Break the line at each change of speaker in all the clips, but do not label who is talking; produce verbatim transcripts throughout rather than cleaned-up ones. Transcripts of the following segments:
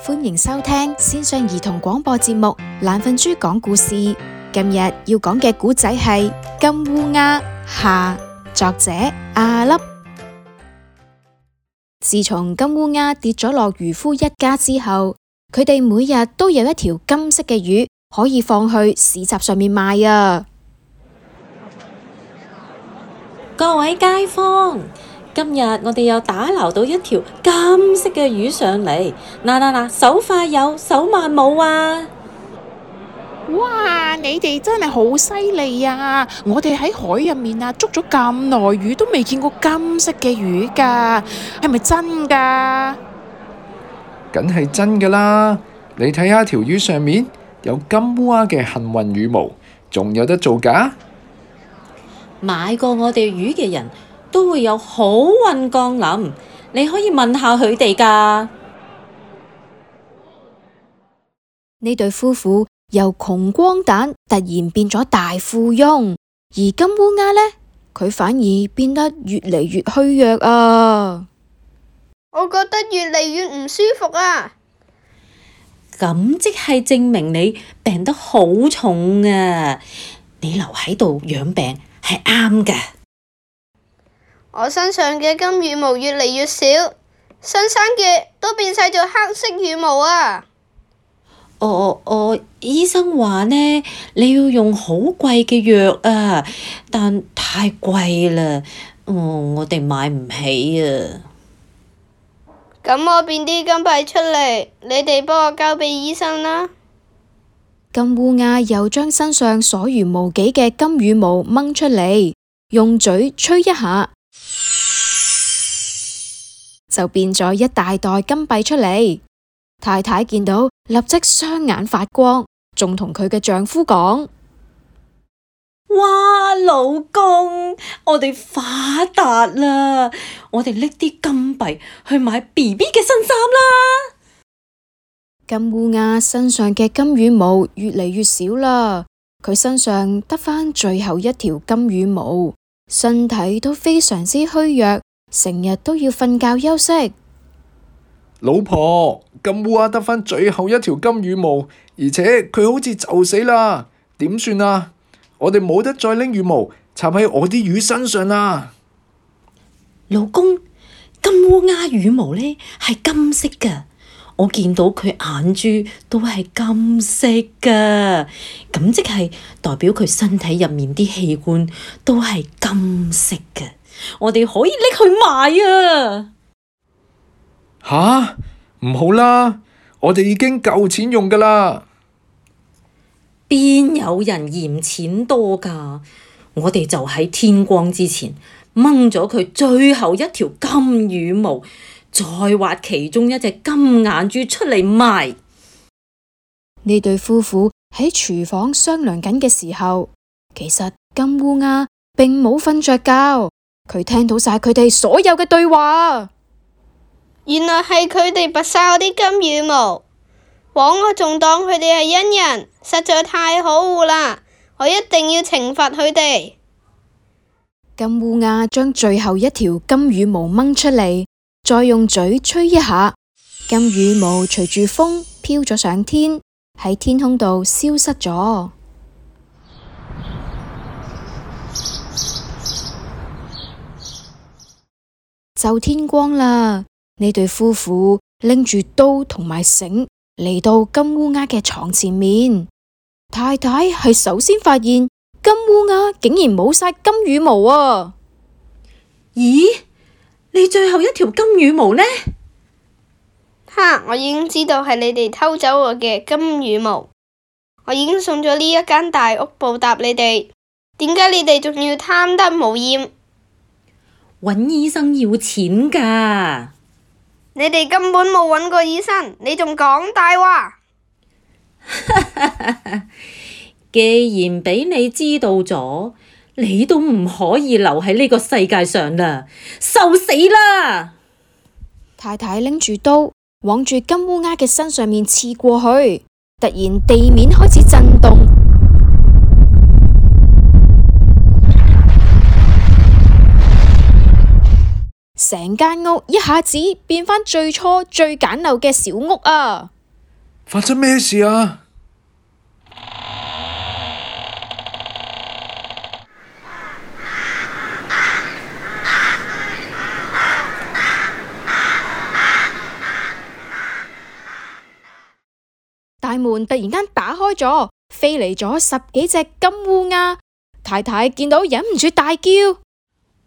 歡迎收聽線上兒童廣播節目《懶瞓豬講故事》。今日要講嘅故仔係《金烏鴉》下，作者阿粒。自從金烏鴉跌咗落漁夫一家之後，佢哋每日都有一條金色嘅魚可以放去市集上面賣啊！
各位街坊，今日我哋又打撈到一條金色嘅魚上嚟，嗱嗱嗱，手快有，手慢冇啊！
哇！你哋真係好犀利啊！我哋喺海入面啊，捉咗咁耐魚都未見過金色嘅魚噶，係咪真噶？
梗係真噶啦！你睇下條魚上面有金烏鴉嘅幸運羽毛，仲有得做噶？
買過我哋魚嘅人都會有好運降臨，你可以問下佢哋噶。
呢對夫婦由窮光蛋突然變咗大富翁，而金烏鴉呢，佢反而變得越嚟越虛弱啊！
我覺得越嚟越唔舒服啊！
咁即係證明你病得好重啊！你留喺度養病係啱㗎。
我身上嘅金羽毛越嚟越少，新生嘅都變晒做黑色羽毛啊！
我我醫生話呢，你要用好貴嘅藥啊，但太貴啦，哦，我哋買唔起啊。
咁我變啲金幣出嚟，你哋幫我交俾醫生啦。
金烏鴉又將身上所餘無幾嘅金羽毛掹出嚟，用嘴吹一下，就變咗一大袋金幣出嚟。太太見到立即雙眼發光，仲同佢嘅丈夫講：
哇，老公，我哋發達啦！我哋拎啲金幣去買 B B 嘅新衫啦！
金烏鴉身上嘅金羽毛越嚟越少啦，佢身上得返最後一條金羽毛，身體都非常之虛弱，成日都要瞓覺休息。
老婆，金烏鴉得返最後一條金羽毛，而且佢好似就死啦，點算啊？我哋冇得再拎羽毛插喺我啲魚身上啦。
老公，金烏鴉羽毛呢係金色噶，我見到佢眼珠都係金色噶，咁即係代表佢身體入面啲器官都係金色噶，我哋可以拎去賣啊！
吓，唔好啦，我哋已經夠錢用噶啦。
邊有人嫌錢多噶？我哋就喺天光之前掹咗佢最後一條金羽毛，再挖其中一隻金眼珠出嚟賣。
呢對夫婦喺廚房商量緊嘅時候，其實金烏鴉並冇瞓着覺，佢聽到晒佢哋所有嘅對話。
原來係佢哋拔晒我啲金羽毛，枉我仲當佢哋係恩人，實在太可惡啦！我一定要懲罰佢哋。
金烏鴉將最後一條金羽毛掹出嚟，再用嘴吹一下，金羽毛隨住風飄咗上天，喺天空度消失咗。就天光啦，呢對夫婦拎住刀同埋繩嚟到金烏鴉嘅床前面。太太係首先發現金烏鴉竟然冇晒金羽毛啊！
咦，你最後一條金羽毛呢？
哈！我已經知道係你哋偷走我嘅金羽毛，我已經送咗呢一間大屋報答你哋。點解你哋仲要貪得無厭？
揾醫生要錢㗎。
你哋根本冇揾過醫生，你仲講大話。
既然俾你知道咗，你都唔可以留喺呢個世界上啦，受死啦！
太太拎住刀往住金烏鴉嘅身上面刺過去，突然地面開始震動，成間屋一下子變返最初最簡陋嘅小屋啊！
發生咩事啊？
大門突然間打開咗，飛嚟咗十幾隻金烏鴉。太太見到忍唔住大叫：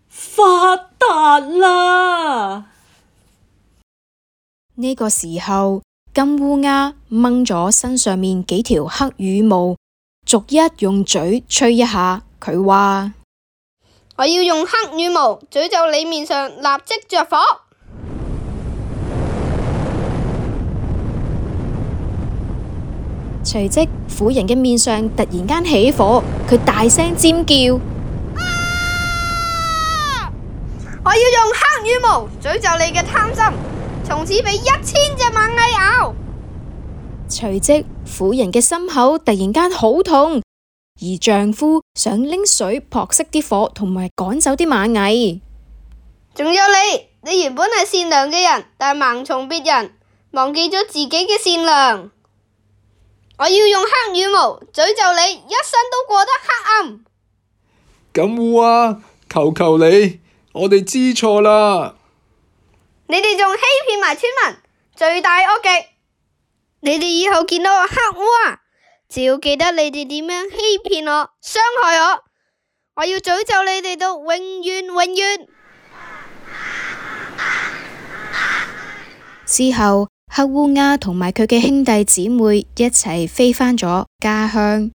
發達啦！
呢個時候，金烏鴉掹咗身上面幾條黑羽毛，逐一用嘴吹一下。佢話：
我要用黑羽毛詛咒你面上立即着火。
隨即，婦人嘅面上突然間起火，佢大聲尖叫：
啊！我要用黑羽毛詛咒你嘅貪心，從此俾一千隻螞蟻咬。
隨即，婦人嘅心口突然間好痛，而丈夫想拎水撲熄啲火，同埋趕走啲螞蟻。
仲有你，你原本係善良嘅人，但盲從別人，忘記咗自己嘅善良。我要用黑羽毛詛咒你，一生都過得黑暗。
金烏啊，求求你，我哋知錯啦！
你哋仲欺騙埋村民，罪大惡極。你哋以後見到我黑烏啊，只要記得你哋點樣欺騙我、傷害我，我要詛咒你哋到永遠永遠。
之後，黑烏鴉同埋佢嘅兄弟姊妹一齊飛返咗家鄉。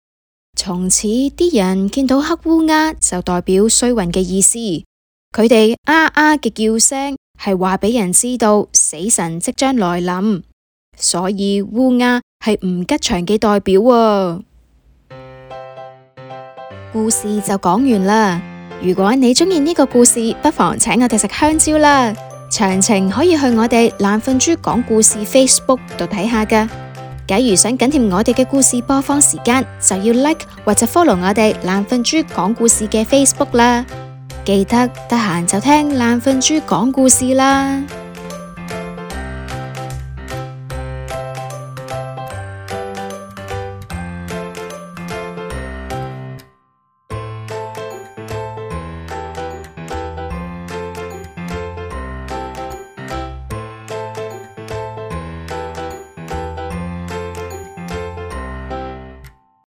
從此啲人見到黑烏鴉就代表衰運嘅意思，佢哋啊啊嘅叫聲係話俾人知道死神即將來臨，所以烏鴉係唔吉祥嘅代表啊。故事就講完啦。如果你鍾意呢個故事，不妨請我哋食香蕉啦。詳情可以去我哋懶瞓豬講故事 Facebook 度睇下㗎。假如想緊貼我哋嘅故事播放時間，就要 like 或者 follow 我哋懶瞓豬講故事嘅 Facebook 啦。記得得閒就聽懶瞓豬講故事啦。